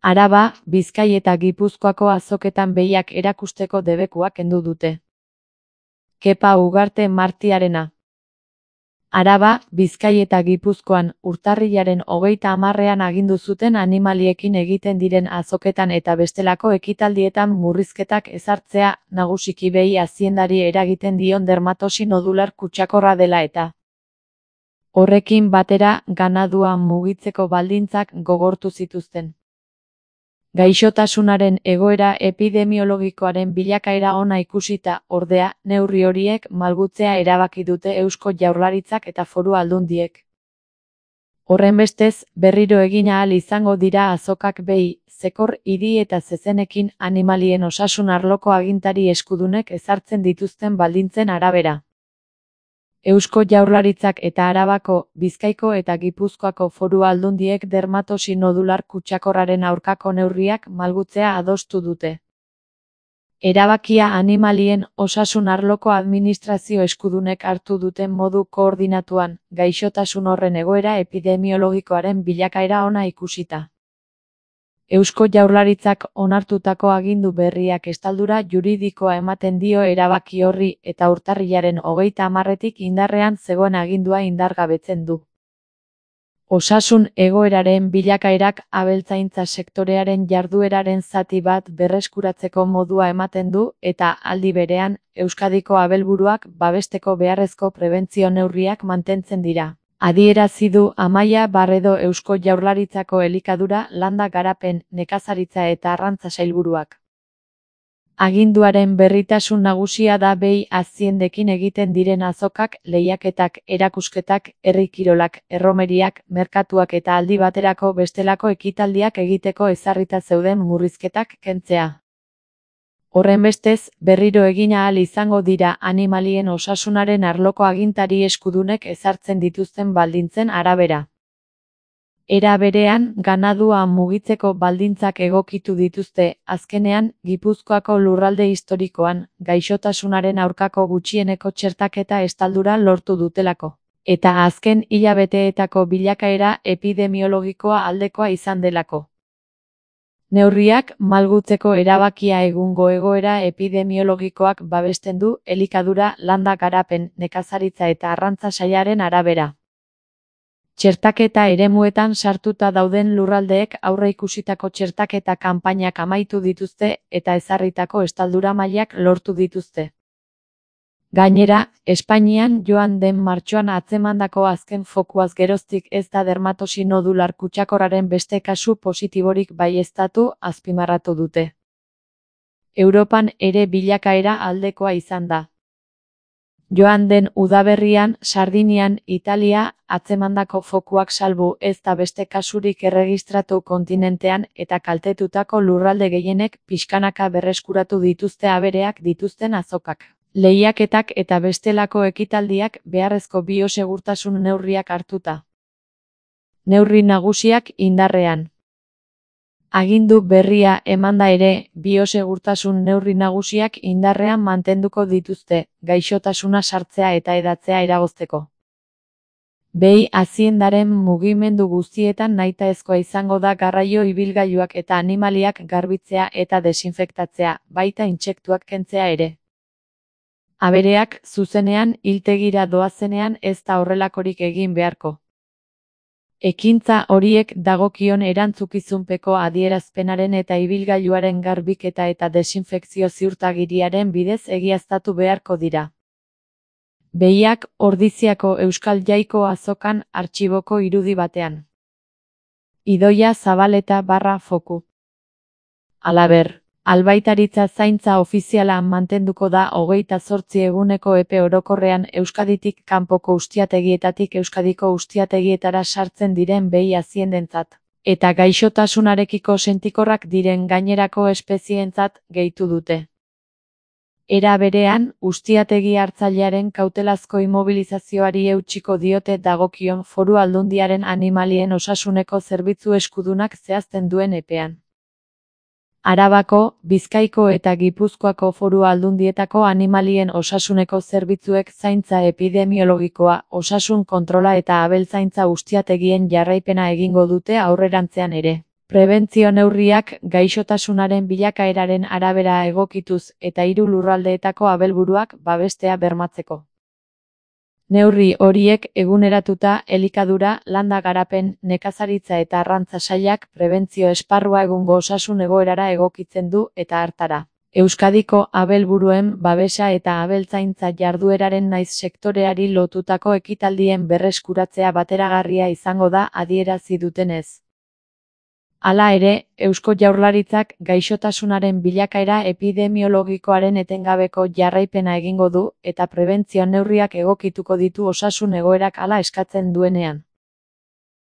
Araba, Bizkai eta Gipuzkoako azoketan behiak erakusteko debekuak kendu dute. Kepa Ugarte Martiarena. Araba, Bizkai eta Gipuzkoan urtarrilaren 30ean agindu zuten animaliekin egiten diren azoketan eta bestelako ekitaldietan murrizketak ezartzea, nagusiki behi aziendari eragiten dion dermatosi nodular kutsakorra dela eta. Horrekin batera, ganadua mugitzeko baldintzak gogortu zituzten. Gaixotasunaren egoera epidemiologikoaren bilakaera ona ikusita, ordea, neurri horiek malgutzea erabaki dute Eusko Jaurlaritzak eta Foru Aldundiek. Horrenbestez, berriro egin ahal izango dira azokak behi, zekor, hiri eta zezenekin animalien osasun arloko agintari eskudunek ezartzen dituzten baldintzen arabera. Eusko Jaurlaritzak eta Arabako, Bizkaiko eta Gipuzkoako Foru Aldundiek dermatosi nodular kutsakorraren aurkako neurriak malgutzea adostu dute. Erabakia animalien osasun arloko administrazio eskudunek hartu duten modu koordinatuan, gaixotasun horren egoera epidemiologikoaren bilakaera ona ikusita. Eusko Jaurlaritzak onartutako agindu berriak estaldura juridikoa ematen dio erabaki horri eta urtarrilaren 30etik indarrean zegoen agindua indargabetzen du. Osasun egoeraren bilakaerak abeltzaintza sektorearen jardueraren zati bat berreskuratzeko modua ematen du eta aldi berean, Euskadiko abelburuak babesteko beharrezko prebentzio neurriak mantentzen dira. Adierazi du Amaia Barredo Eusko Jaurlaritzako Elikadura, Landa Garapen, Nekazaritza eta Arrantza sailburuak. Aginduaren berritasun nagusia da behi aziendekin egiten diren azokak, lehiaketak, erakusketak, herri kirolak, erromeriak, merkatuak eta aldi baterako bestelako ekitaldiak egiteko ezarrita zeuden murrizketak kentzea. Horrenbestez, berriro egin ahal izango dira animalien osasunaren arloko agintari eskudunek ezartzen dituzten baldintzen arabera. Era berean, ganadua mugitzeko baldintzak egokitu dituzte, azkenean, Gipuzkoako lurralde historikoan, gaixotasunaren aurkako gutxieneko txertaketa estaldura lortu dutelako. Eta azken hilabeteetako bilakaera epidemiologikoa aldekoa izan delako. Neurriak malgutzeko erabakia egungo egoera epidemiologikoak babesten du Elikadura, Landa Garapen, Nekazaritza eta Arrantza sailaren arabera. Txertaketa eremuetan sartuta dauden lurraldeek aurreikusitako txertaketa kanpainak amaitu dituzte eta ezarritako estaldura mailak lortu dituzte. Gainera, Espainian joan den martxoan atzemandako azken fokuaz geroztik ez da dermatosi nodular kutsakorraren beste kasu positiborik baieztatu, azpimarratu dute. Europan ere bilakaera aldekoa izan da. Joan den udaberrian, Sardinian, Italia, atzemandako fokuak salbu ez da beste kasurik erregistratu kontinentean eta kaltetutako lurralde gehienek pixkanaka berreskuratu dituzte abereak dituzten azokak. Lehiaketak eta bestelako ekitaldiak beharrezko biosegurtasun neurriak hartuta. Neurri nagusiak indarrean. Agindu berria emanda ere, biosegurtasun neurri nagusiak indarrean mantenduko dituzte, gaixotasuna sartzea eta hedatzea eragozteko. Behi aziendaren mugimendu guztietan nahitaezkoa izango da garraio ibilgailuak eta animaliak garbitzea eta desinfektatzea, baita intsektuak kentzea ere. Abereak, zuzenean, hiltegira doazenean ez da horrelakorik egin beharko. Ekintza horiek dagokion erantzukizunpeko adierazpenaren eta ibilgailuaren garbiketa eta desinfekzio ziurtagiriaren bidez egiaztatu beharko dira. Behiak Ordiziako Euskal Jaiko azokan artxiboko irudi batean. Idoia Zabaleta /foku. Halaber. Albaitaritza zaintza ofiziala mantenduko da 28 eguneko epe orokorrean Euskaditik kanpoko ustiategietatik Euskadiko ustiategietara sartzen diren behi aziendentzat, eta gaixotasunarekiko sentikorrak diren gainerako espezientzat gehitu dute. Era berean, ustiategi hartzailearen kautelazko immobilizazioari eutsiko diote dagokion Foru Aldundiaren animalien osasuneko zerbitzu eskudunak zehazten duen epean. Arabako, Bizkaiko eta Gipuzkoako Foru Aldundietako animalien osasuneko zerbitzuek zaintza epidemiologikoa, osasun kontrola eta abeltzaintza ustiategien jarraipena egingo dute aurrerantzean ere. Prebentzio neurriak gaixotasunaren bilakaeraren arabera egokituz eta 3 lurraldeetako abelburuak babestea bermatzeko. Neurri horiek eguneratuta elikadura, landa garapen, nekazaritza eta arrantza sailak prebentzio esparrua egungo osasun egoerara egokitzen du eta hartara. Euskadiko abelburuen babesa eta abeltzaintza jardueraren nahiz sektoreari lotutako ekitaldien berreskuratzea bateragarria izango da adierazi dutenez. Hala ere, Eusko Jaurlaritzak gaixotasunaren bilakaera epidemiologikoaren etengabeko jarraipena egingo du eta prebentzio neurriak egokituko ditu osasun egoerak hala eskatzen duenean.